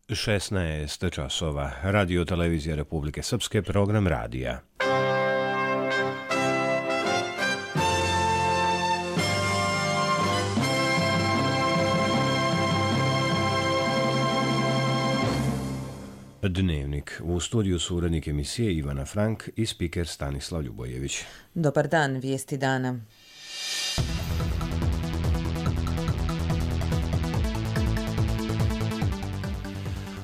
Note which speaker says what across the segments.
Speaker 1: 16 časova. Radio televizija Republike Srpske, program radija. Dnevnik. U studiju su urednik emisije Ivana Frank i spiker Stanislav Ljubojević.
Speaker 2: Dobar dan, vijesti dana.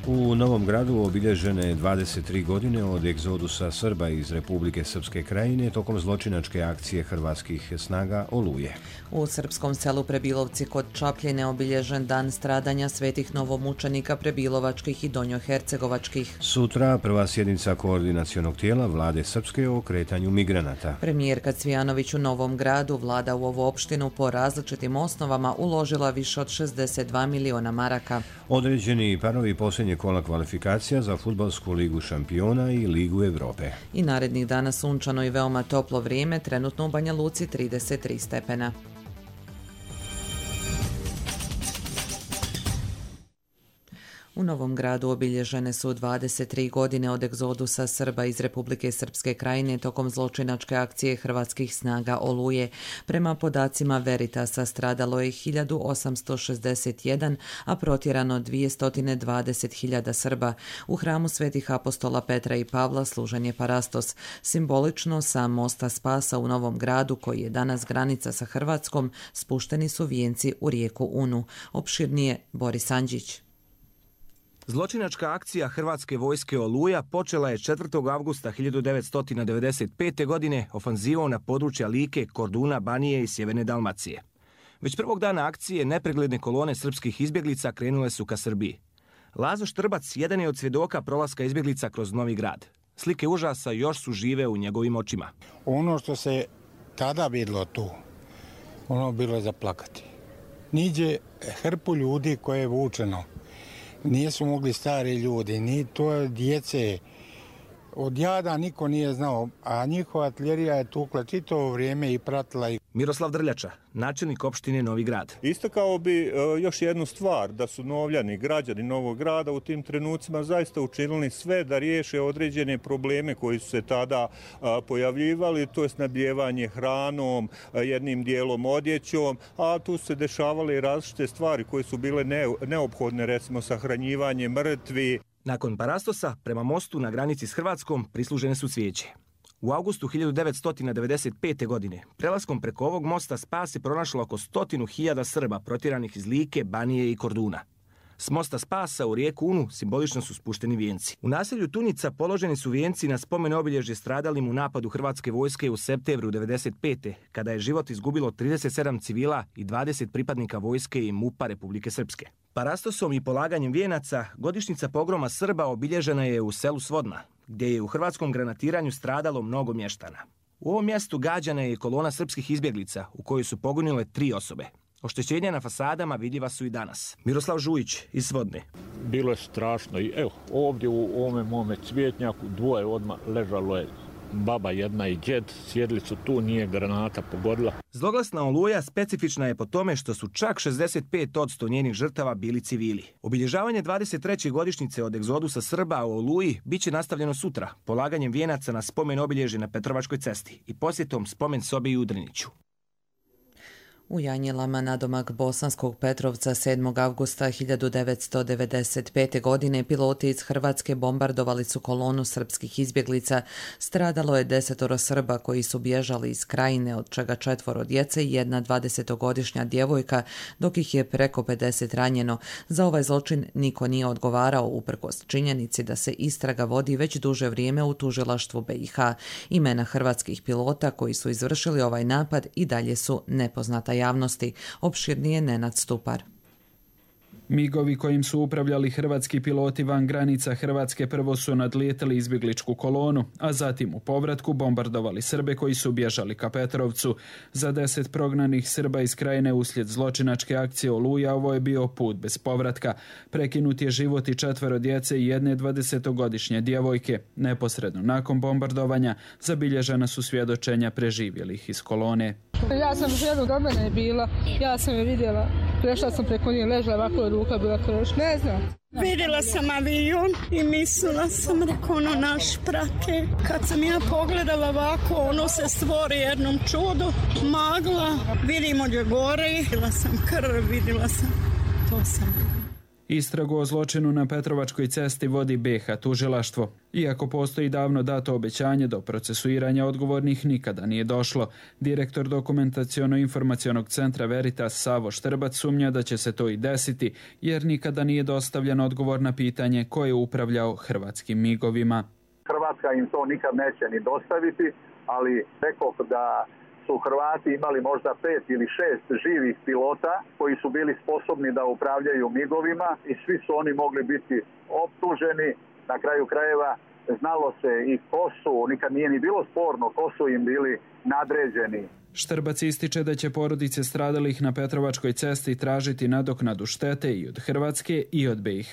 Speaker 1: U Novom Gradu obilježene 23 godine od egzodusa Srba iz Republike Srpske Krajine tokom zločinačke akcije hrvatskih snaga Oluje.
Speaker 2: U srpskom selu Prebilovci kod Čapljine obilježen dan stradanja svetih novomučenika prebilovačkih i donjohercegovačkih.
Speaker 1: Sutra prva sjednica koordinacionog tijela vlade Srpske o kretanju migranata.
Speaker 2: Premijerka Cvijanović u Novom Gradu, vlada u ovu opštinu po različitim osnovama uložila više od 62 miliona maraka.
Speaker 1: Određeni parovi posljednje kola kvalifikacija za fudbalsku ligu šampiona i ligu Evrope.
Speaker 2: I narednih dana sunčano i veoma toplo vrijeme, trenutno u Banja Luci 33 stepena. U Novom Gradu obilježene su 23 godine od egzodusa Srba iz Republike Srpske Krajine tokom zločinačke akcije hrvatskih snaga Oluje. Prema podacima Veritasa stradalo je 1861, a protjerano 220.000 Srba. U hramu svetih apostola Petra i Pavla služen je parastos. Simbolično sa mosta Spasa u Novom Gradu, koji je danas granica sa Hrvatskom, spušteni su vijenci u rijeku Unu. Opširnije Boris Andžić.
Speaker 3: Zločinačka akcija Hrvatske vojske Oluja počela je 4. avgusta 1995. godine ofanzivom na područja Like, Korduna, Banije i Sjeverne Dalmacije. Već prvog dana akcije nepregledne kolone srpskih izbjeglica krenule su ka Srbiji. Lazo Štrbac jedan je od svjedoka prolaska izbjeglica kroz Novi Grad. Slike užasa još su žive u njegovim očima.
Speaker 4: Ono što se tada vidjelo tu, ono bilo za plakati. Niđe hrpu ljudi koje je vučeno. Nisu mogli stari ljudi, ni to djece. Od jada niko nije znao, a njihova artiljerija je tukla čitavo vrijeme i pratila ih.
Speaker 3: Miroslav Drljača, načelnik opštine Novi Grad.
Speaker 5: Istakao bi još jednu stvar, da su Novljani, građani Novog Grada u tim trenucima zaista učinili sve da riješe određene probleme koji su se tada pojavljivali, to je snabdijevanje hranom, jednim dijelom odjećom, a tu su se dešavale i različite stvari koje su bile neophodne, recimo sahranjivanje mrtvi.
Speaker 3: Nakon parastosa, prema mostu na granici s Hrvatskom prislužene su cvijeće. U avgustu 1995. godine prelaskom preko ovog mosta Spas je pronašlo oko 100.000 Srba protjeranih iz Like, Banije i Korduna. S mosta Spasa u rijeku Unu simbolično su spušteni vijenci. U naselju Tunica položeni su vijenci na spomen obilježje stradalim u napadu Hrvatske vojske u septembru 1995. kada je život izgubilo 37 civila i 20 pripadnika vojske i MUP-a Republike Srpske. Parastosom i polaganjem vijenaca godišnjica pogroma Srba obilježena je u selu Svodna, gdje je u hrvatskom granatiranju stradalo mnogo mještana. U ovom mjestu gađana je kolona srpskih izbjeglica u kojoj su poginule 3 osobe. Oštećenja na fasadama vidljiva su i danas. Miroslav Žujić iz Svodne.
Speaker 6: Bilo je strašno i evo ovdje u ovome mome cvjetnjaku dvoje odmah ležalo je. Baba jedna i djed, sjedili su tu, nije granata pogodila.
Speaker 3: Zloglasna Oluja specifična je po tome što su čak 65% njenih žrtava bili civili. Obilježavanje 23. godišnjice od egzodusa Srba u Oluji bit će nastavljeno sutra, polaganjem vijenaca na spomen obilježje na Petrovačkoj cesti i posjetom spomen sobi u Drniću.
Speaker 2: U Janjelama nadomak Bosanskog Petrovca 7. avgusta 1995. godine piloti iz Hrvatske bombardovali su kolonu srpskih izbjeglica. Stradalo je 10 Srba koji su bježali iz Krajine, od čega 4 djece i jedna 20-godišnja djevojka, dok ih je preko 50 ranjeno. Za ovaj zločin niko nije odgovarao uprkos činjenici da se istraga vodi već duže vrijeme u tužilaštvu BiH. Imena hrvatskih pilota koji su izvršili ovaj napad i dalje su nepoznata javnosti. Opširnije Nenad Stupar.
Speaker 7: Migovi kojim su upravljali hrvatski piloti van granica Hrvatske prvo su nadlijetali izbjegličku kolonu, a zatim u povratku bombardovali Srbe koji su bježali ka Petrovcu. Za 10 prognanih Srba iz Krajine uslijed zločinačke akcije Oluja ovo je bio put bez povratka. Prekinut je život i 4 djece i jedne 20-godišnje djevojke. Neposredno nakon bombardovanja zabilježena su svjedočenja preživjelih iz kolone.
Speaker 8: Ja sam ženu do mene bila, ja sam je vidjela, prešla sam preko nje, ležala ovako, ruka bila krš, ne znam. Vidjela sam avion i mislila sam, rekao, ono naš prate. Kad sam ja pogledala ovako, ono se stvori jednom čudu, magla, vidimo gdje gori, vidjela sam krv, vidjela sam, to sam.
Speaker 7: Istragu o zločinu na Petrovačkoj cesti vodi BiH tužilaštvo. Iako postoji davno dato obećanje, do procesuiranja odgovornih nikada nije došlo. Direktor Dokumentaciono-informacionog centra Veritas Savo Štrbac sumnja da će se to i desiti, jer nikada nije dostavljen odgovor na pitanje ko je upravljao hrvatskim migovima.
Speaker 9: Hrvatska im to nikad neće ni dostaviti, ali rekoh da su Hrvati imali možda 5 ili 6 živih pilota koji su bili sposobni da upravljaju migovima i svi su oni mogli biti optuženi. Na kraju krajeva znalo se i ko su, nikad nije ni bilo sporno ko su im bili nadređeni.
Speaker 7: Štrbac ističe da će porodice stradalih na Petrovačkoj cesti tražiti nadoknadu štete i od Hrvatske i od BiH.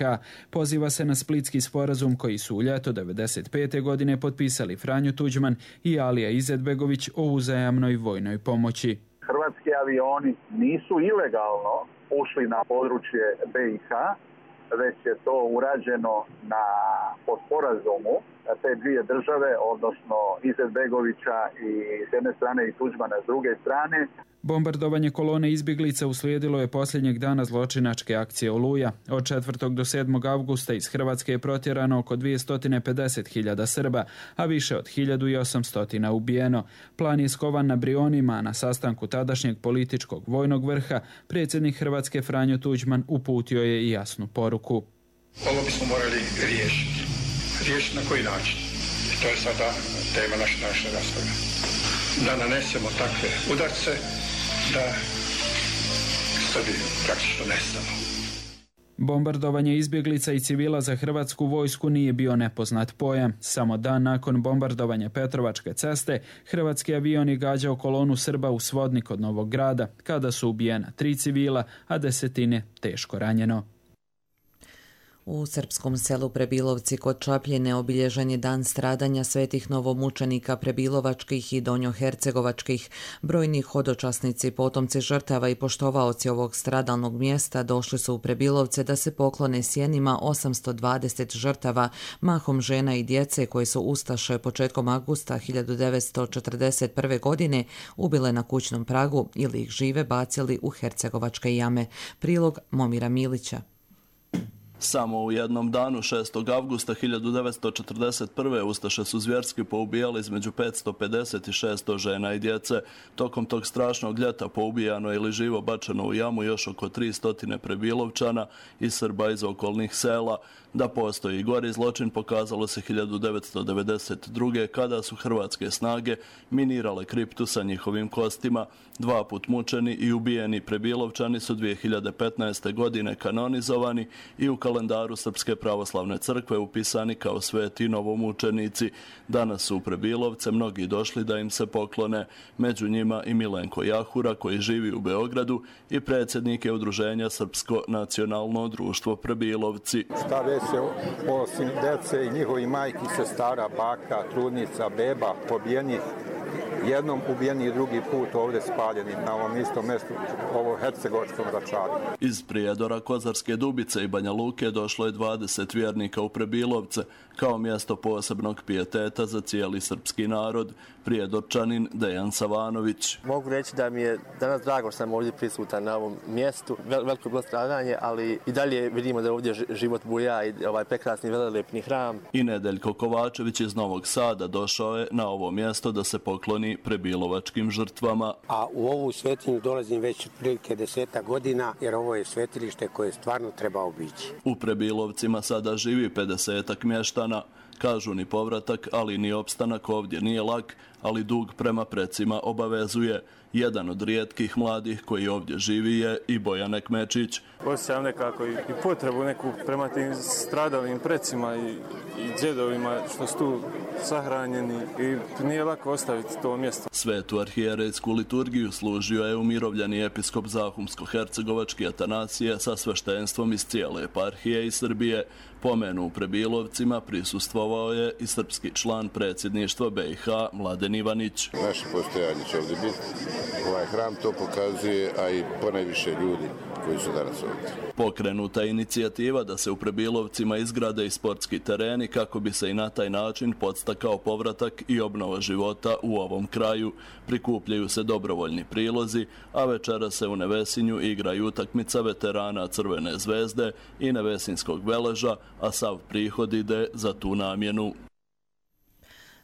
Speaker 7: Poziva se na Splitski sporazum koji su u ljeto 1995. godine potpisali Franjo Tuđman i Alija Izetbegović o uzajamnoj vojnoj pomoći.
Speaker 9: Hrvatski avioni nisu ilegalno ušli na područje BiH, već je to urađeno po sporazumu te dvije države, odnosno Izetbegovića i s jedne strane i Tuđmana s druge strane.
Speaker 7: Bombardovanje kolone izbjeglica uslijedilo je posljednjeg dana zločinačke akcije Oluja. Od 4. do 7. avgusta iz Hrvatske je protjerano oko 250.000 Srba, a više od 1.800 ubijeno. Plan je skovan na Brionima, a na sastanku tadašnjeg političkog vojnog vrha predsjednik Hrvatske Franjo Tuđman uputio je i jasnu poruku.
Speaker 10: Ovo bismo morali riješiti. Riješiti na koji način? To je sada tema naše rasprave. Da nanesemo takve udarce da Srbi praktično nestanu.
Speaker 7: Bombardovanje izbjeglica i civila za hrvatsku vojsku nije bio nepoznat pojam. Samo dan nakon bombardovanja Petrovačke ceste, hrvatski avion je gađao kolonu Srba u Svodnik od Novog Grada, kada su ubijena 3 civila, a 10 teško ranjeno.
Speaker 2: U srpskom selu Prebilovci kod Čapljine obilježen je dan stradanja svetih novomučenika prebilovačkih i donjohercegovačkih. Brojni hodočasnici, potomci žrtava i poštovaoci ovog stradalnog mjesta došli su u Prebilovce da se poklone sjenima 820 žrtava, mahom žena i djece koje su ustaše početkom avgusta 1941. godine ubile na kućnom pragu ili ih žive bacili u hercegovačke jame. Prilog Momira Milića.
Speaker 11: Samo u jednom danu, 6. avgusta 1941. ustaše su zvjerski poubijali između 550 i 600 žena i djece. Tokom tog strašnog ljeta poubijano ili živo bačeno u jamu još oko 300 Prebilovčana i Srba iz okolnih sela. Da postoji i gori zločin pokazalo se 1992. kada su hrvatske snage minirale kriptu sa njihovim kostima. 2 put mučeni i ubijeni Prebilovčani su 2015. godine kanonizovani i u kalendaru Srpske pravoslavne crkve upisani kao sveti novomučenici. Danas su u Prebilovce mnogi došli da im se poklone. Među njima i Milenko Jahura koji živi u Beogradu i predsjednik je udruženja Srpsko nacionalno društvo Prebilovci.
Speaker 12: Se osim dece i njihovi majki, sestara, baka, trudnica, beba, pobijenih, jednom ubijeni drugi put ovdje spaljeni na ovom istom mjestu, ovo hercegovačkom Račaru.
Speaker 11: Iz Prijedora, Kozarske Dubice i Banja Luke došlo je 20 vjernika u Prebilovce kao mjesto posebnog pijeteta za cijeli srpski narod. Prijedorčanin Dejan Savanović.
Speaker 13: Mogu reći da mi je danas drago što sam ovdje prisutan na ovom mjestu. Veliko je bilo stradanje, ali i dalje vidimo da ovdje život buja i ovaj prekrasni velelepni hram.
Speaker 11: I Nedeljko Kovačević iz Novog Sada došao je na ovo mjesto da se pokloni prebilovačkim žrtvama.
Speaker 14: A u ovu svetinju dolazim već otprilike 10 godina, jer ovo je svetilište koje stvarno treba obići.
Speaker 11: U Prebilovcima sada živi 50 mještana. Kažu ni povratak, ali ni opstanak ovdje nije lak, ali dug prema precima obavezuje. Jedan od rijetkih mladih koji ovdje živi je i Bojan Ekmečić.
Speaker 15: Osjećam nekako i potrebu neku prema tim stradalim precima i djedovima što su tu sahranjeni i nije lako ostaviti to mjesto.
Speaker 11: Svetu arhijerejsku liturgiju služio je umirovljeni episkop Zahumsko-hercegovački Atanasije sa sveštenstvom iz cijele eparhije i Srbije. Pomenu u Prebilovcima prisustvovao je i srpski član predsjedništva BiH Mladen Ivanić.
Speaker 16: Naše postojanje će ovdje biti. Ovaj hram to pokazuje, a i ponajviše ljudi koji su danas ovdje.
Speaker 11: Pokrenuta je inicijativa da se u Prebilovcima izgrade i sportski tereni kako bi se i na taj način podstakao povratak i obnova života u ovom kraju. Prikupljaju se dobrovoljni prilozi, a večera se u Nevesinju igraju utakmica veterana Crvene zvezde i Nevesinskog Veleža, a sav prihod ide za tu namjenu.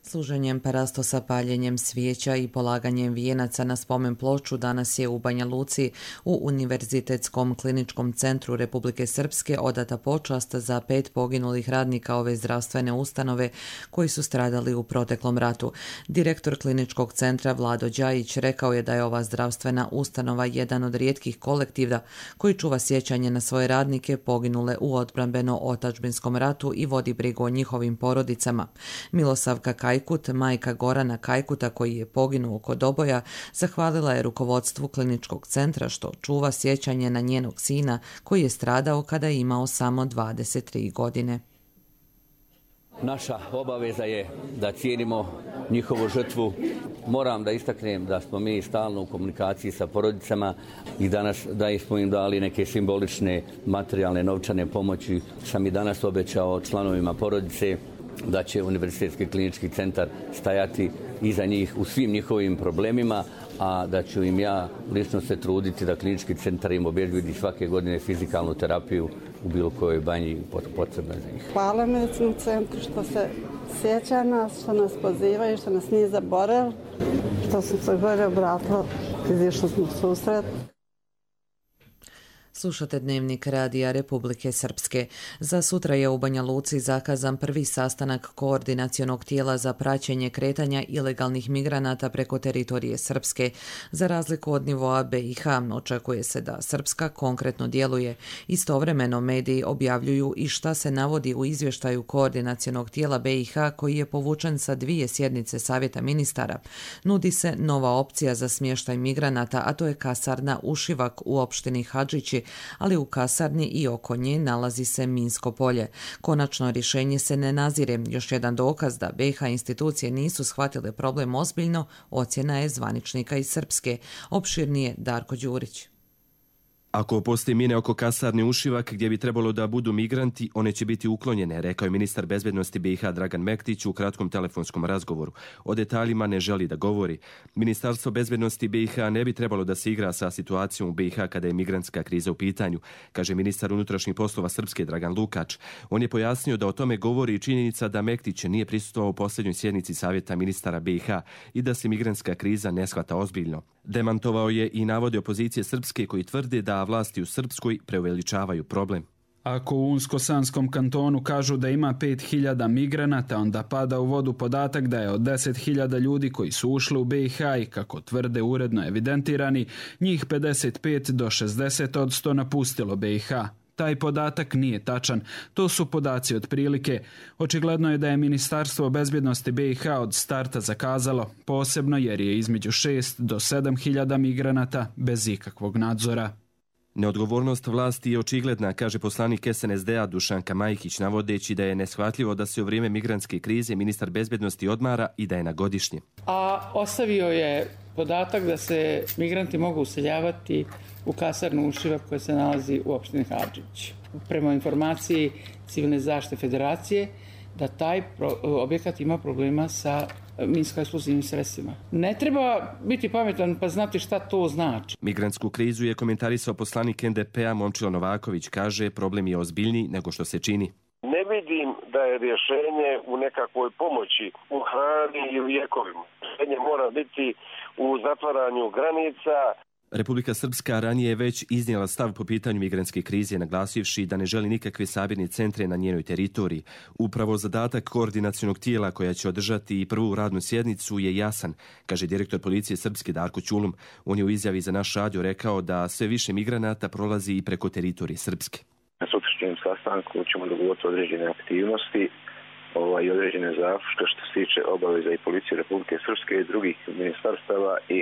Speaker 2: Služenjem parastosa, paljenjem svijeća i polaganjem vijenaca na spomen ploču danas je u Banja Luci u Univerzitetskom kliničkom centru Republike Srpske odata počast za 5 poginulih radnika ove zdravstvene ustanove koji su stradali u proteklom ratu. Direktor kliničkog centra Vlado Đajić rekao je da je ova zdravstvena ustanova jedan od rijetkih kolektiva koji čuva sjećanje na svoje radnike poginule u odbrambeno-otadžbinskom ratu i vodi brigu o njihovim porodicama. Milosavka Kajkut, majka Gorana Kajkuta koji je poginuo kod oboja, zahvalila je rukovodstvu kliničkog centra što čuva sjećanje na njenog sina koji je stradao kada je imao samo 23 godine.
Speaker 17: Naša obaveza je da cijenimo njihovu žrtvu. Moram da istaknem da smo mi stalno u komunikaciji sa porodicama i danas da smo im dali neke simbolične materijalne novčane pomoći. Sam i danas obećao članovima porodice da će Univerzitetski klinički centar stajati iza njih u svim njihovim problemima, a da ću im ja lično se truditi da klinički centar im obezbedi svake godine fizikalnu terapiju u bilo kojoj banji potrebna za njih.
Speaker 18: Hvala medicinskom centru što se sjeća nas, što nas pozivaju, što nas nije zaboravili, što sam se gore obratila, izišli smo u susret.
Speaker 2: Slušate Dnevnik Radija Republike Srpske. Za sutra je u Banja Luci zakazan prvi sastanak koordinacionog tijela za praćenje kretanja ilegalnih migranata preko teritorije Srpske. Za razliku od nivoa BiH, očekuje se da Srpska konkretno djeluje. Istovremeno mediji objavljuju i šta se navodi u izvještaju koordinacionog tijela BiH koji je povučen sa 2 sjednice Savjeta ministara. Nudi se nova opcija za smještaj migranata, a to je kasarna Ušivak u opštini Hadžići, ali u kasarni i oko nje nalazi se minsko polje. Konačno rješenje se ne nazire. Još jedan dokaz da BiH institucije nisu shvatile problem ozbiljno, ocjena je zvaničnika iz Srpske. Opširnije Darko Đurić.
Speaker 19: Ako postoji mine oko kasarne Ušivak gdje bi trebalo da budu migranti, one će biti uklonjene, rekao je ministar bezbednosti BiH Dragan Mektić u kratkom telefonskom razgovoru. O detaljima ne želi da govori. Ministarstvo bezbednosti BiH ne bi trebalo da se igra sa situacijom u BiH kada je migrantska kriza u pitanju, kaže ministar unutrašnjih poslova Srpske Dragan Lukač. On je pojasnio da o tome govori i činjenica da Mektić nije prisustvovao u posljednjoj sjednici Savjeta ministara BiH i da se migrantska kriza ne shvata ozbiljno. Demantovao je i navode opozicije Srpske koji tvrde da vlasti u Srpskoj preuveličavaju problem.
Speaker 7: Ako u Unsko-Sanskom kantonu kažu da ima 5.000 migranata, onda pada u vodu podatak da je od 10.000 ljudi koji su ušli u BiH i, kako tvrde, uredno evidentirani, njih 55 do 60% napustilo BiH. Taj podatak nije tačan. To su podaci otprilike. Očigledno je da je Ministarstvo bezbjednosti BiH od starta zakazalo, posebno jer je između 6 do 7.000 migranata bez ikakvog nadzora.
Speaker 19: Neodgovornost vlasti je očigledna, kaže poslanik SNSD-a Dušanka Majkić, navodeći da je neshvatljivo da se u vrijeme migrantske krize ministar bezbjednosti odmara i da je na godišnje.
Speaker 20: A ostavio je podatak da se migranti mogu useljavati u kasarnu Ušivak koja se nalazi u opštini Hadžić. Prema informaciji Civilne zaštite Federacije, da taj objekat ima problema sa minsko-eksplozivnim sredstvima. Ne treba biti pametan pa znati šta to znači.
Speaker 19: Migrantsku krizu je komentarisao poslanik NDP-a Momčilo Novaković, kaže problem je ozbiljniji nego što se čini.
Speaker 21: Ne vidim da je rješenje u nekakvoj pomoći u hrani i lijekovima. Rješenje mora biti u zatvaranju granica.
Speaker 19: Republika Srpska ranije je već iznijela stav po pitanju migrantske krize, naglasivši da ne želi nikakve sabirne centre na njenoj teritoriji. Upravo zadatak koordinacionog tijela koja će održati prvu radnu sjednicu je jasan, kaže direktor policije Srpske Darko Ćulum. On je u izjavi za naš radio rekao da sve više migranata prolazi i preko teritorije Srpske.
Speaker 21: Na sutrašnjem sastanku ćemo dogovoriti određene aktivnosti i određene zaključke što se tiče obaveza i policije Republike Srpske i drugih ministarstava i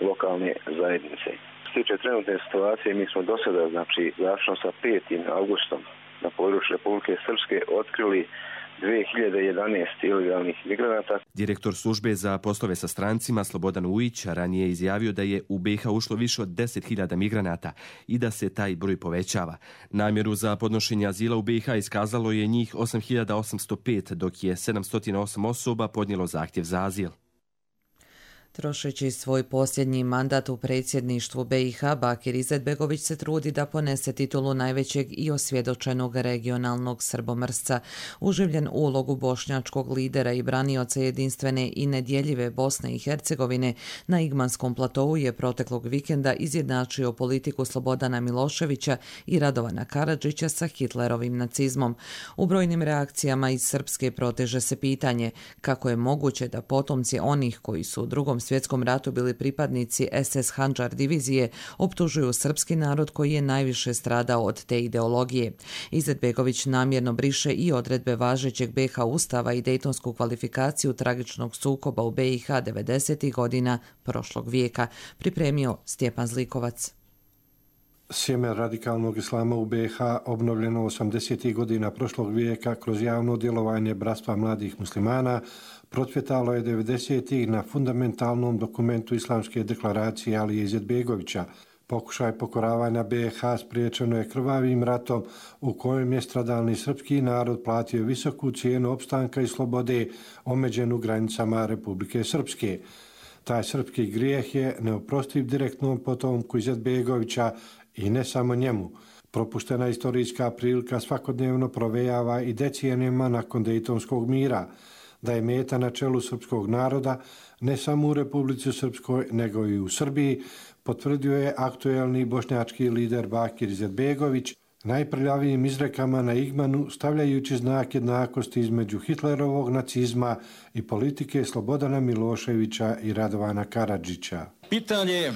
Speaker 21: lokalne zajednice. Što se tiče trenutne situacije, mi smo do sada, završno sa 5. augustom na području Republike Srpske otkrili 2011 ilegalnih migranata.
Speaker 19: Direktor službe za poslove sa strancima Slobodan Ujić ranije je izjavio da je u BiH ušlo više od 10.000 migranata i da se taj broj povećava. Namjeru za podnošenje azila u BiH iskazalo je njih 8.805, dok je 708 osoba podnijelo zahtjev za azil.
Speaker 2: Trošeći svoj posljednji mandat u predsjedništvu BiH, Bakir Izetbegović se trudi da ponese titulu najvećeg i osvjedočenog regionalnog srbomrsca. Uživljen ulogu bošnjačkog lidera i branioca jedinstvene i nedjeljive Bosne i Hercegovine na Igmanskom platovu je proteklog vikenda izjednačio politiku Slobodana Miloševića i Radovana Karadžića sa Hitlerovim nacizmom. U brojnim reakcijama iz Srpske proteže se pitanje kako je moguće da potomci onih koji su u Drugom svjetskom ratu bili pripadnici SS Handžar divizije optužuju srpski narod koji je najviše stradao od te ideologije. Izetbegović namjerno briše i odredbe važećeg BiH ustava i dejtonsku kvalifikaciju tragičnog sukoba u BiH 90. godina prošlog vijeka, pripremio Stjepan Zlikovac.
Speaker 16: Sjeme radikalnog islama u BiH obnovljeno 80. godina prošlog vijeka kroz javno djelovanje Bratstva mladih muslimana procvjetalo je 90. na fundamentalnom dokumentu Islamske deklaracije Alije Izetbegovića. Pokušaj pokoravanja BiH spriječeno je krvavim ratom u kojem je stradalni srpski narod platio visoku cijenu opstanka i slobode omeđenu granicama Republike Srpske. Taj srpski grijeh je neoprostiv direktnom potomku Izetbegovića i ne samo njemu. Propuštena istorijska prilika svakodnevno provejava i decenijama nakon Dejtonskog mira, da je meta na čelu srpskog naroda ne samo u Republici Srpskoj nego i u Srbiji, potvrdio je aktuelni bošnjački lider Bakir Izetbegović najprljavijim izrekama na Igmanu, stavljajući znak jednakosti između Hitlerovog nacizma i politike Slobodana Miloševića i Radovana Karadžića.
Speaker 22: Pitanje je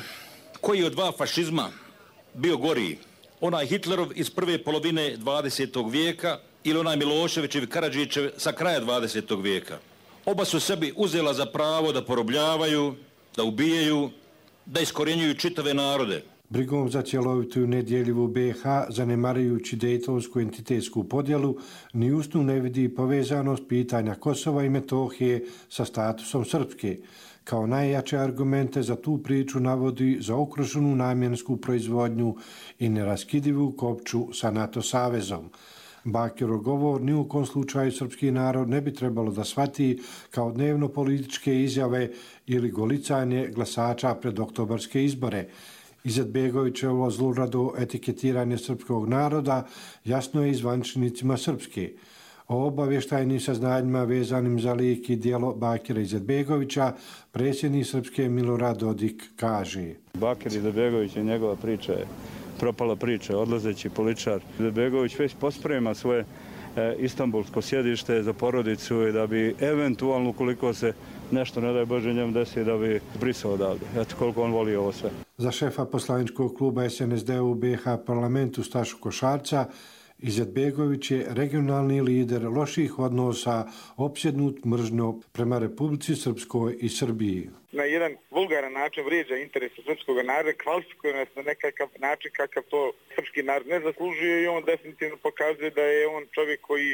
Speaker 22: koji je od dva fašizma bio goriji, onaj Hitlerov iz prve polovine 20. vijeka ili onaj Miloševićev i Karadžićev sa kraja 20. vijeka. Oba su sebi uzela za pravo da porobljavaju, da ubijaju, da iskorjenjuju čitave narode.
Speaker 16: Brigom za cjelovitu i nedjeljivu BiH, zanemarujući dejtonsku entitetsku podjelu, ni usnu ne vidi povezanost pitanja Kosova i Metohije sa statusom Srpske. Kao najjače argumente za tu priču navodi zaokruženu namjensku proizvodnju i neraskidivu kopču sa NATO savezom. Bakirov govor ni u kom slučaju srpski narod ne bi trebalo da shvati kao dnevno političke izjave ili golicanje glasača pred oktobarske izbore. Izetbegovićevo zlurado etiketiranje srpskog naroda jasno je i zvaničnicima Srpske. O obavještajnim saznanjima vezanim za lik i djelo Bakira Izetbegovića predsjednik Srpske Milorad Dodik kaže:
Speaker 23: Bakir Izetbegović i njegova priča je propala priča, odlazeći političar. Izetbegović već posprema svoje istanbulsko sjedište za porodicu i da bi eventualno, ukoliko se nešto, ne daj Bože, njemu desi, da bi brisao odavde. Eto koliko on voli ovo sve.
Speaker 16: Za šefa poslaničkog kluba SNSD u BiH parlamentu Stašu Košarca, Izetbegović je regionalni lider loših odnosa, opsjednut mržnjom prema Republici Srpskoj i Srbiji.
Speaker 24: Na jedan vulgaran način vrijeđa interese srpskog naroda, kvalifikuje nas na nekakav način kakav to srpski narod ne zaslužuje i on definitivno pokazuje da je on čovjek koji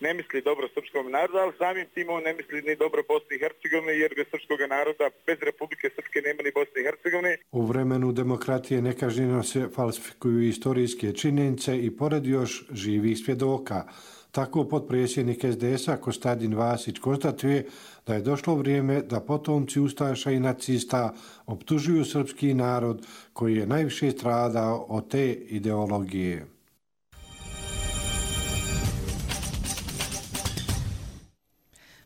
Speaker 24: ne misli dobro srpskom narodu, ali samim tim on ne misli ni dobro Bosni i Hercegovine, jer bez srpskog naroda, bez Republike Srpske nema ni Bosne i Hercegovine.
Speaker 16: U vremenu demokratije nekažnjeno se falsifikuju istorijske činjenice i pored još živih svjedoka. Tako potpredsjednik SDS-a Kostadin Vasić konstatuje da je došlo vrijeme da potomci ustaša i nacista optužuju srpski narod koji je najviše stradao od te ideologije.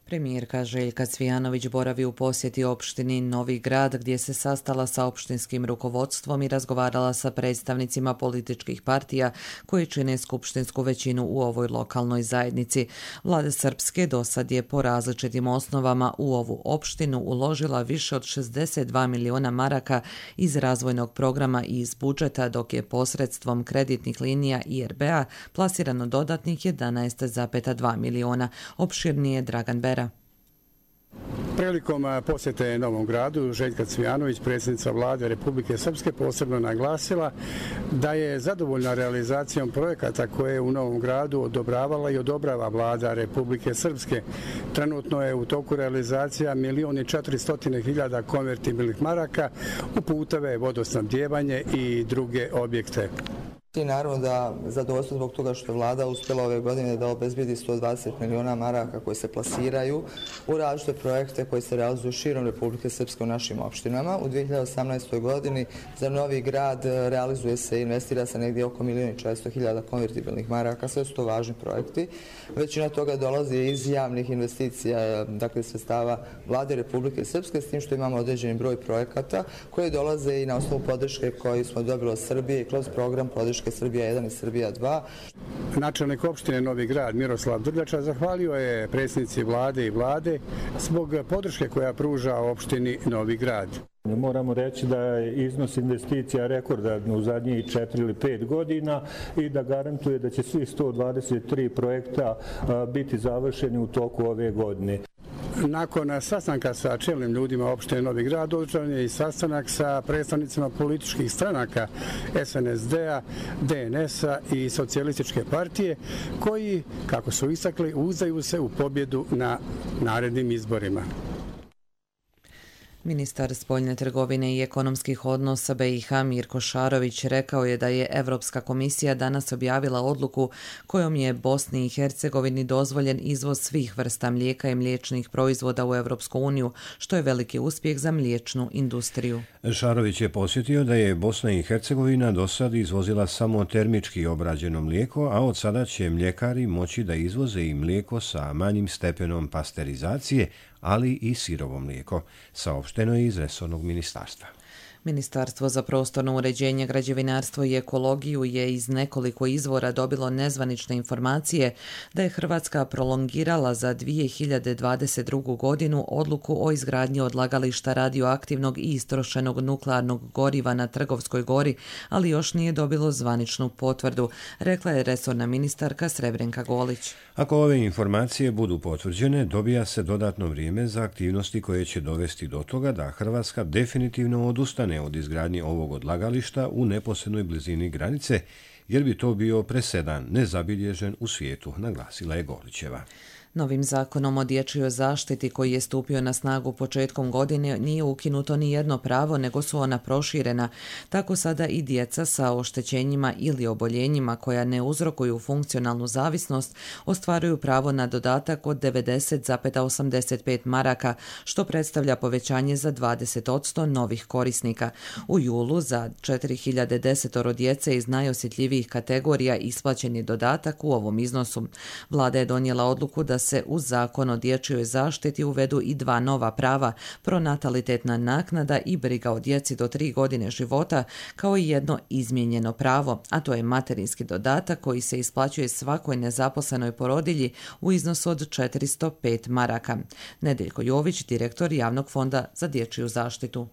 Speaker 2: Premijerka Željka Cvijanović boravi u posjeti opštini Novi Grad gdje se sastala sa opštinskim rukovodstvom i razgovarala sa predstavnicima političkih partija koji čine skupštinsku većinu u ovoj lokalnoj zajednici. Vlada Srpske dosad je po različitim osnovama u ovu opštinu uložila više od 62 miliona maraka iz razvojnog programa i iz budžeta, dok je posredstvom kreditnih linija IRB-a plasirano dodatnih 11,2 miliona. Opširnije Dragan Bera.
Speaker 1: Prilikom posjete Novom Gradu, Željka Cvijanović, predsjednica vlade Republike Srpske, posebno naglasila da je zadovoljna realizacijom projekata koje je u Novom Gradu odobravala i odobrava vlada Republike Srpske. Trenutno je u toku realizacija 1.400.000 konvertibilnih maraka u puteve, vodosnabdijevanje i druge objekte.
Speaker 4: I naravno da zadovoljstvo zbog toga što je vlada uspjela ove godine da obezbijedi 120 miliona maraka koji se plasiraju u različite projekte koji se realizuju širom Republike Srpske u našim opštinama. U 2018. godini za Novi Grad realizuje se i investira se negdje oko 1.400.000 konvertibilnih maraka. Sve su to važni projekti. Većina toga dolazi iz javnih investicija, dakle sredstava vlade Republike Srpske, s tim što imamo određeni broj projekata koji dolaze i na osnovu podrške koju smo dobili od Srbije kroz program podrške Srbija 1 i Srbija 2.
Speaker 1: Načelnik opštine Novi Grad Miroslav Drljača zahvalio je predsjednici vlade i vlade zbog podrške koja pruža opštini Novi Grad.
Speaker 5: Moramo reći da je iznos investicija rekordan u zadnjih 4 ili 5 godina i da garantuje da će svi 123 projekta biti završeni u toku ove godine.
Speaker 1: Nakon sastanka sa čelnim ljudima opštine Novi Grad održan je i sastanak sa predstavnicima političkih stranaka SNSD-a, DNS-a i Socijalističke partije koji, kako su istakli, uzdaju se u pobjedu na narednim izborima.
Speaker 2: Ministar spoljne trgovine i ekonomskih odnosa BiH Mirko Šarović rekao je da je Evropska komisija danas objavila odluku kojom je Bosni i Hercegovini dozvoljen izvoz svih vrsta mlijeka i mliječnih proizvoda u Evropsku uniju, što je veliki uspjeh za mliječnu industriju.
Speaker 6: Šarović je podsjetio da je Bosna i Hercegovina do sad izvozila samo termički obrađeno mlijeko, a od sada će mljekari moći da izvoze i mlijeko sa manjim stepenom pasterizacije, ali i sirovo mlijeko, saopšteno je iz resornog ministarstva.
Speaker 2: Ministarstvo za prostorno uređenje, građevinarstvo i ekologiju je iz nekoliko izvora dobilo nezvanične informacije da je Hrvatska prolongirala za 2022. godinu odluku o izgradnji odlagališta radioaktivnog i istrošenog nuklearnog goriva na Trgovskoj gori, ali još nije dobilo zvaničnu potvrdu, rekla je resorna ministarka Srebrenka Golić.
Speaker 6: Ako ove informacije budu potvrđene, dobija se dodatno vrijeme za aktivnosti koje će dovesti do toga da Hrvatska definitivno odustane od izgradnje ovog odlagališta u neposrednoj blizini granice, jer bi to bio presedan nezabilježen u svijetu, naglasila je Golićeva.
Speaker 2: Novim zakonom o dječjoj zaštiti koji je stupio na snagu početkom godine nije ukinuto ni jedno pravo, nego su ona proširena. Tako sada i djeca sa oštećenjima ili oboljenjima koja ne uzrokuju funkcionalnu zavisnost ostvaruju pravo na dodatak od 90,85 maraka, što predstavlja povećanje za 20% novih korisnika. U julu za 4010 djece iz najosjetljivijih kategorija isplaćen je dodatak u ovom iznosu. Vlada je donijela odluku da se uz zakon o dječjoj zaštiti uvedu i dva nova prava, pronatalitetna naknada i briga o djeci do 3 godine života, kao i jedno izmijenjeno pravo, a to je materinski dodatak koji se isplaćuje svakoj nezaposlenoj porodilji u iznosu od 405 maraka. Nedeljko Jović, direktor Javnog fonda za dječju zaštitu.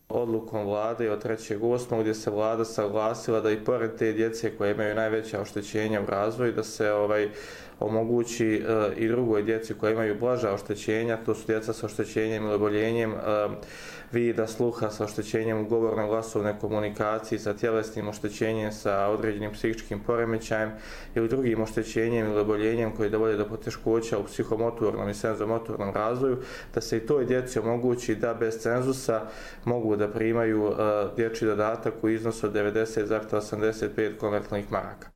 Speaker 25: Odlukom vlade od 3.8. gdje se vlada saglasila da i pored te djece koje imaju najveća oštećenja u razvoju, da se omogući i drugoj djeci koje imaju blaža oštećenja, to su djeca sa oštećenjem ili oboljenjem vida, sluha, sa oštećenjem u govorno-glasovne komunikacije, sa tjelesnim oštećenjem, sa određenim psihičkim poremećajem ili drugim oštećenjem ili oboljenjem koji dovode do poteškoća u psihomotornom i senzomotornom razvoju, da se i toj djeci omogući da bez cenzusa mogu da primaju dječji dodatak u iznosu od 90,85 konvertibilnih maraka.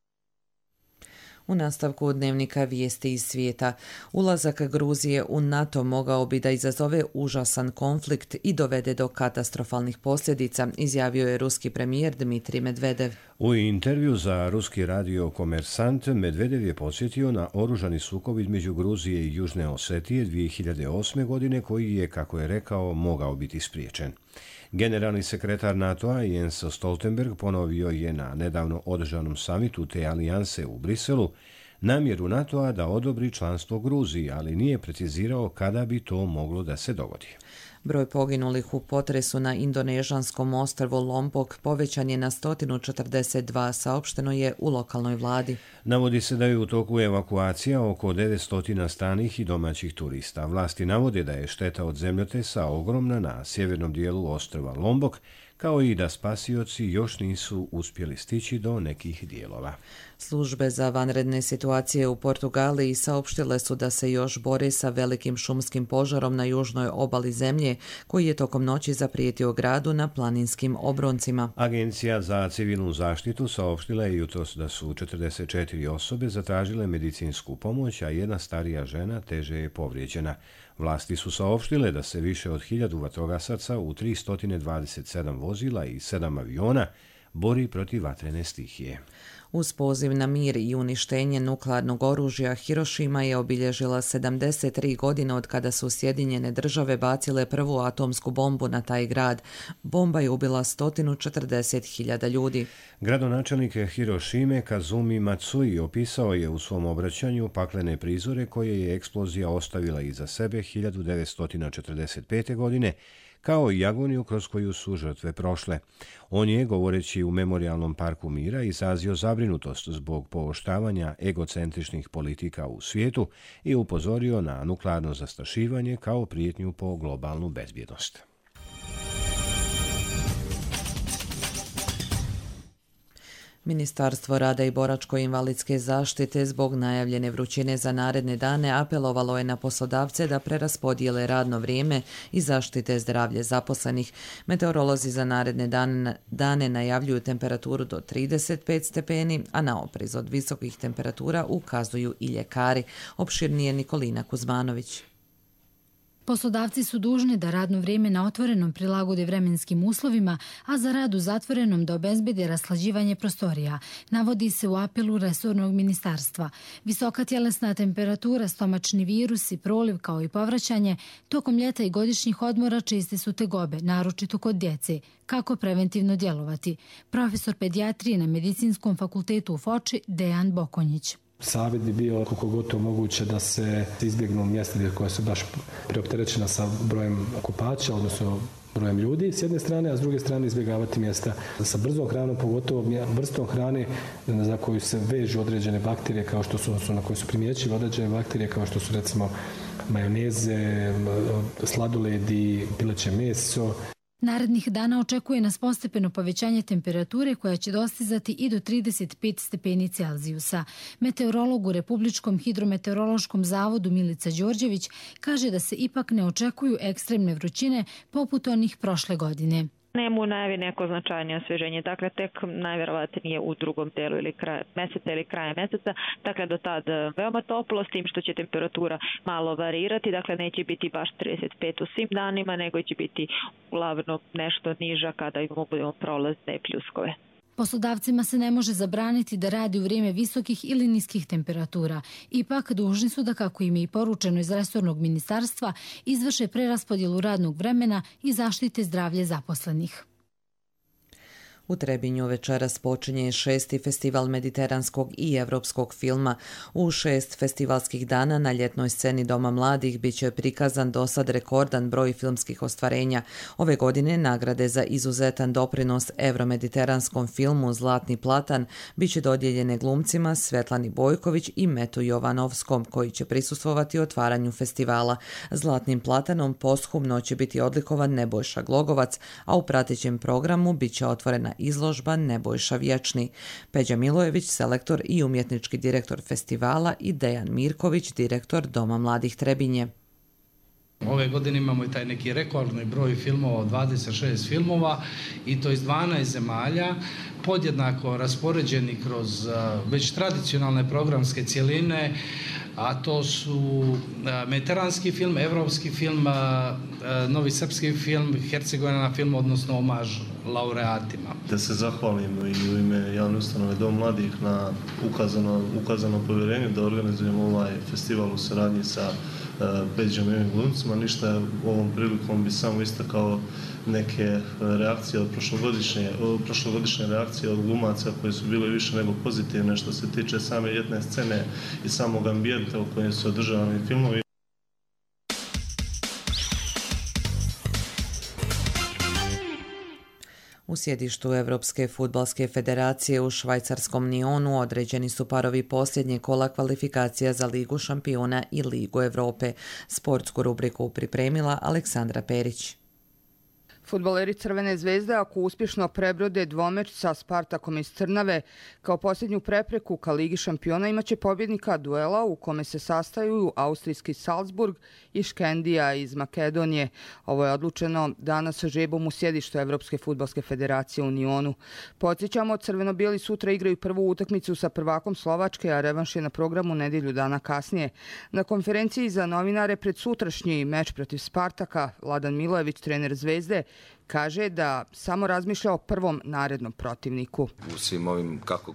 Speaker 2: U nastavku dnevnika vijesti iz svijeta, ulazak Gruzije u NATO mogao bi da izazove užasan konflikt i dovede do katastrofalnih posljedica, izjavio je ruski premijer Dmitrij Medvedev.
Speaker 6: U intervju za ruski radio Komersant Medvedev je podsjetio na oružani sukob između Gruzije i Južne Osetije 2008. godine koji je, kako je rekao, mogao biti spriječen. Generalni sekretar NATO-a Jens Stoltenberg ponovio je na nedavno održanom samitu te alijanse u Briselu namjeru NATO-a da odobri članstvo Gruziji, ali nije precizirao kada bi to moglo da se dogodi.
Speaker 2: Broj poginulih u potresu na indonežanskom ostrvu Lombok povećan je na 142, saopšteno je u lokalnoj vladi.
Speaker 6: Navodi se da je u toku evakuacija oko 900 stranih i domaćih turista. Vlasti navode da je šteta od zemljotresa ogromna na sjevernom dijelu ostrva Lombok, kao i da spasioci još nisu uspjeli stići do nekih dijelova.
Speaker 2: Službe za vanredne situacije u Portugaliji saopštile su da se još bore sa velikim šumskim požarom na južnoj obali zemlje, koji je tokom noći zaprijetio gradu na planinskim obroncima.
Speaker 6: Agencija za civilnu zaštitu saopštila je jutros da su 44 osobe zatražile medicinsku pomoć, a jedna starija žena teže je povrijeđena. Vlasti su saopštile da se više od 1000 vatrogasaca u 327 vozila i 7 aviona bori protiv vatrene stihije.
Speaker 2: Uz poziv na mir i uništenje nuklearnog oružja, Hirošima je obilježila 73 godine od kada su Sjedinjene države bacile prvu atomsku bombu na taj grad. Bomba je ubila 140.000 ljudi.
Speaker 6: Gradonačelnik Hirošime Kazumi Matsui opisao je u svom obraćanju paklene prizore koje je eksplozija ostavila iza sebe 1945. godine, kao i agoniju kroz koju su žrtve prošle. On je, govoreći u Memorijalnom parku mira, izrazio zabrinutost zbog pooštravanja egocentričnih politika u svijetu i upozorio na nuklearno zastrašivanje kao prijetnju po globalnu bezbjednost.
Speaker 2: Ministarstvo rada i boračko-invalidske zaštite zbog najavljene vrućine za naredne dane apelovalo je na poslodavce da preraspodijele radno vrijeme i zaštite zdravlje zaposlenih. Meteorolozi za naredne dane najavljuju temperaturu do 35 stepeni, a na oprez od visokih temperatura ukazuju i ljekari. Opširnije Nikolina Kuzmanović.
Speaker 3: Poslodavci su dužni da radno vrijeme na otvorenom prilagode vremenskim uslovima, a za rad u zatvorenom da obezbede raslađivanje prostorija, navodi se u apelu resornog ministarstva. Visoka tjelesna temperatura, stomačni virusi, proliv kao i povraćanje, tokom ljeta i godišnjih odmora česte su tegobe, naročito kod djece. Kako preventivno djelovati? Profesor pedijatrije na Medicinskom fakultetu u Foči, Dejan Bokonjić.
Speaker 8: Savjet bi bio koliko god to moguće da se izbjegnu mjesta koja su baš preopterećena sa brojem kupača, odnosno brojem ljudi s jedne strane, a s druge strane izbjegavati mjesta sa brzom hranom, pogotovo vrstom hrane za koju se vežu određene bakterije, kao što su, na koje su primjećive određene bakterije, kao što su recimo majoneze, sladoledi, pileće meso.
Speaker 3: Narednih dana očekuje nas postepeno povećanje temperature koja će dostizati i do 35 stepeni Celzijusa. Meteorolog u Republičkom hidrometeorološkom zavodu Milica Đorđević kaže da se ipak ne očekuju ekstremne vrućine poput onih prošle godine.
Speaker 9: Nema u najavi neko značajnije osvježenje, dakle tek najvjerovatnije u drugom delu ili krajem mjeseca, dakle do tad veoma toplo, s tim što će temperatura malo varirati, dakle neće biti baš 35 u svim danima, nego će biti uglavnom nešto niža kada imamo prolazne pljuskove.
Speaker 3: Poslodavcima se ne može zabraniti da radi u vrijeme visokih ili niskih temperatura. Ipak dužni su da, kako im je i poručeno iz resornog ministarstva, izvrše preraspodjelu radnog vremena i zaštite zdravlje zaposlenih.
Speaker 2: U Trebinju večeras počinje 6. festival mediteranskog i evropskog filma. U 6 festivalskih dana na ljetnoj sceni Doma mladih bit će prikazan dosad rekordan broj filmskih ostvarenja. Ove godine nagrade za izuzetan doprinos evromediteranskom filmu Zlatni platan bit će dodijeljene glumcima Svetlani Bojković i Metu Jovanovskom, koji će prisustvovati otvaranju festivala. Zlatnim platanom posthumno će biti odlikovan Nebojša Glogovac, a u pratećem programu bit će otvorena izložba Nebojša vječni. Peđa Milojević, selektor i umjetnički direktor festivala, i Dejan Mirković, direktor Doma mladih Trebinje.
Speaker 10: Ove godine imamo i taj neki rekordni broj filmova, 26 filmova, i to iz 12 zemalja, podjednako raspoređeni kroz već tradicionalne programske cjeline, a to su mediteranski film, evropski film, novi srpski film, Hercegovina film, odnosno omaž laureatima.
Speaker 12: Da se zahvalim i u ime javne ustanove Dom mladih na ukazano povjerenju da organizujemo ovaj festival u saradnji sa Peđom i ovim glumcima. Ništa ovom prilikom bi samo istakao neke reakcije od prošlogodišnje reakcije od glumaca koje su bile više nego pozitivne što se tiče same ljetne scene i samog ambijenta u kojem su održavani filmovi.
Speaker 2: U sjedištu Evropske fudbalske federacije u švajcarskom Nionu određeni su parovi posljednje kola kvalifikacija za Ligu šampiona i Ligu Europe. Sportsku rubriku pripremila Aleksandra Perić.
Speaker 11: Fudbaleri Crvene zvezde, ako uspješno prebrode dvomeč sa Spartakom iz Trnave, kao posljednju prepreku ka Ligi šampiona imaće pobjednika duela u kome se sastaju austrijski Salzburg i Škendija iz Makedonije. Ovo je odlučeno danas žrebom u sjedištu Evropske fudbalske federacije u Nionu. Podsjećamo, crveno-bijeli sutra igraju prvu utakmicu sa prvakom Slovačke, a revanš je na programu nedjelju dana kasnije. Na konferenciji za novinare pred sutrašnji meč protiv Spartaka, Vladan Milojević, trener Zvezde, kaže da samo razmišlja o prvom narednom protivniku.
Speaker 13: U svim ovim, kako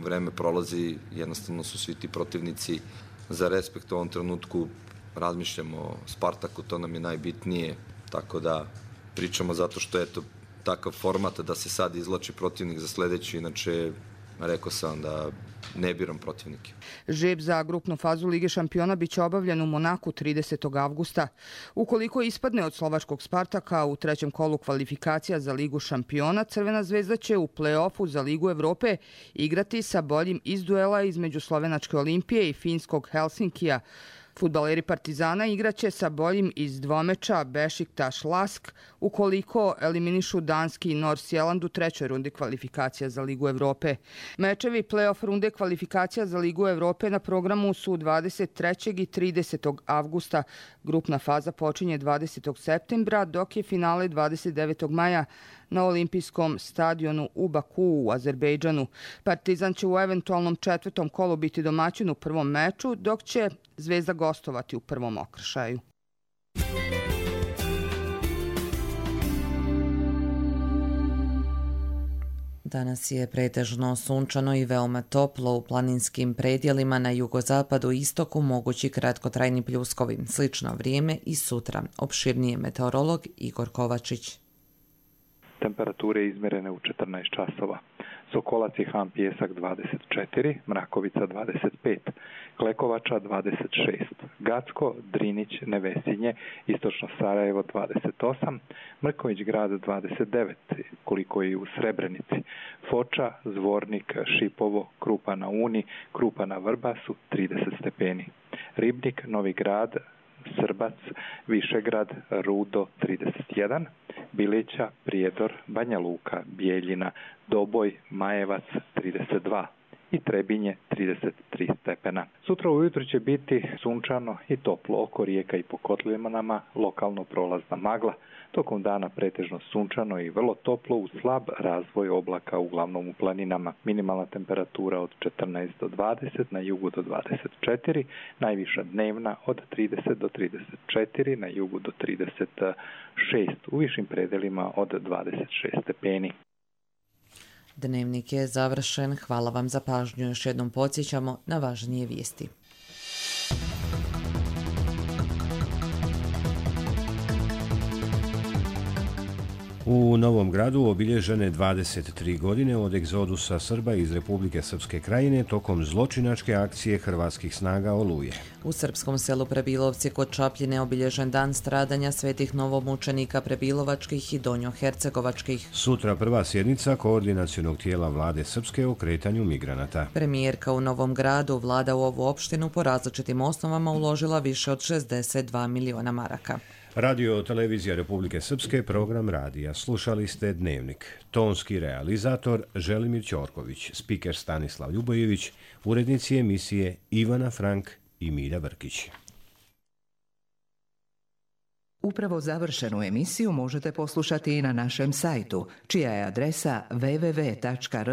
Speaker 13: vreme prolazi, jednostavno su svi ti protivnici za respekt u ovom trenutku. Razmišljamo o Spartaku, to nam je najbitnije, tako da pričamo zato što je to takav format da se sad izvlači protivnik za sljedeći, inače rekao sam da ne biram protivnike.
Speaker 11: Žreb za grupnu fazu Lige šampiona biće obavljen u Monaku 30. avgusta. Ukoliko ispadne od slovačkog Spartaka u trećem kolu kvalifikacija za Ligu šampiona, Crvena zvezda će u play-offu za Ligu Evrope igrati sa boljim iz duela između slovenačke Olimpije i finskog Helsinkija. Fudbaleri Partizana igraće sa boljim iz dvomeča Bešiktaš Lask ukoliko eliminišu danski Nordsjælland u trećoj rundi kvalifikacija za Ligu Evrope. Mečevi play-off runde kvalifikacija za Ligu Evrope na programu su 23. i 30. avgusta. Grupna faza počinje 20. septembra, dok je finale 29. maja na olimpijskom stadionu u Bakuu u Azerbejdžanu. Partizan će u eventualnom četvrtom kolu biti domaćin u prvom meču, dok će Zvezda gostovati u prvom okršaju.
Speaker 2: Danas je pretežno sunčano i veoma toplo u planinskim predjelima na jugozapadu i istoku mogući kratkotrajni pljuskovi. Slično vrijeme i sutra. Opširnije meteorolog Igor Kovačić.
Speaker 14: Temperature izmjerene u 14 časova. Sokolac i Han Pijesak 24, Mrakovica 25, Klekovača 26, Gacko, Drinić, Nevesinje, Istočno Sarajevo 28, Mrković grad 29, koliko je u Srebrenici, Foča, Zvornik, Šipovo, Krupa na Uni, Krupa na Vrbasu 30 stepeni, Ribnik, Novi grad, Srbac, Višegrad, Rudo 31, Bilića, Prijedor, Banja Luka, Bijeljina, Doboj, Majevac 32 i Trebinje 33 stepena. Sutra ujutro će biti sunčano i toplo oko rijeka i po kotlinama, lokalno prolazna magla. Tokom dana pretežno sunčano i vrlo toplo uz slab razvoj oblaka uglavnom u planinama. Minimalna temperatura od 14 do 20, na jugu do 24, najviša dnevna od 30 do 34, na jugu do 36, u višim predelima od 26 stepeni.
Speaker 2: Dnevnik je završen. Hvala vam za pažnju. Još jednom podsjećamo na važnije vijesti.
Speaker 6: U Novom Gradu obilježene 23 godine od egzodusa Srba iz Republike Srpske Krajine tokom zločinačke akcije hrvatskih snaga Oluje.
Speaker 2: U srpskom selu Prebilovci kod Čapljine obilježen dan stradanja svetih novomučenika prebilovačkih i donjohercegovačkih.
Speaker 6: Sutra prva sjednica koordinacionog tijela vlade Srpske o kretanju migranata.
Speaker 2: Premijerka u Novom Gradu, vlada u ovu opštinu po različitim osnovama uložila više od 62 miliona maraka.
Speaker 6: Radio Televizija Republike Srpske, program radija. Slušali ste Dnevnik. Tonski realizator Želimir Ćorković, spiker Stanislav Ljubojević, urednici emisije Ivana Frank i Milja Vrkić.
Speaker 15: Upravo završenu emisiju možete poslušati i na našem sajtu, čija je adresa www.rtrs.tv.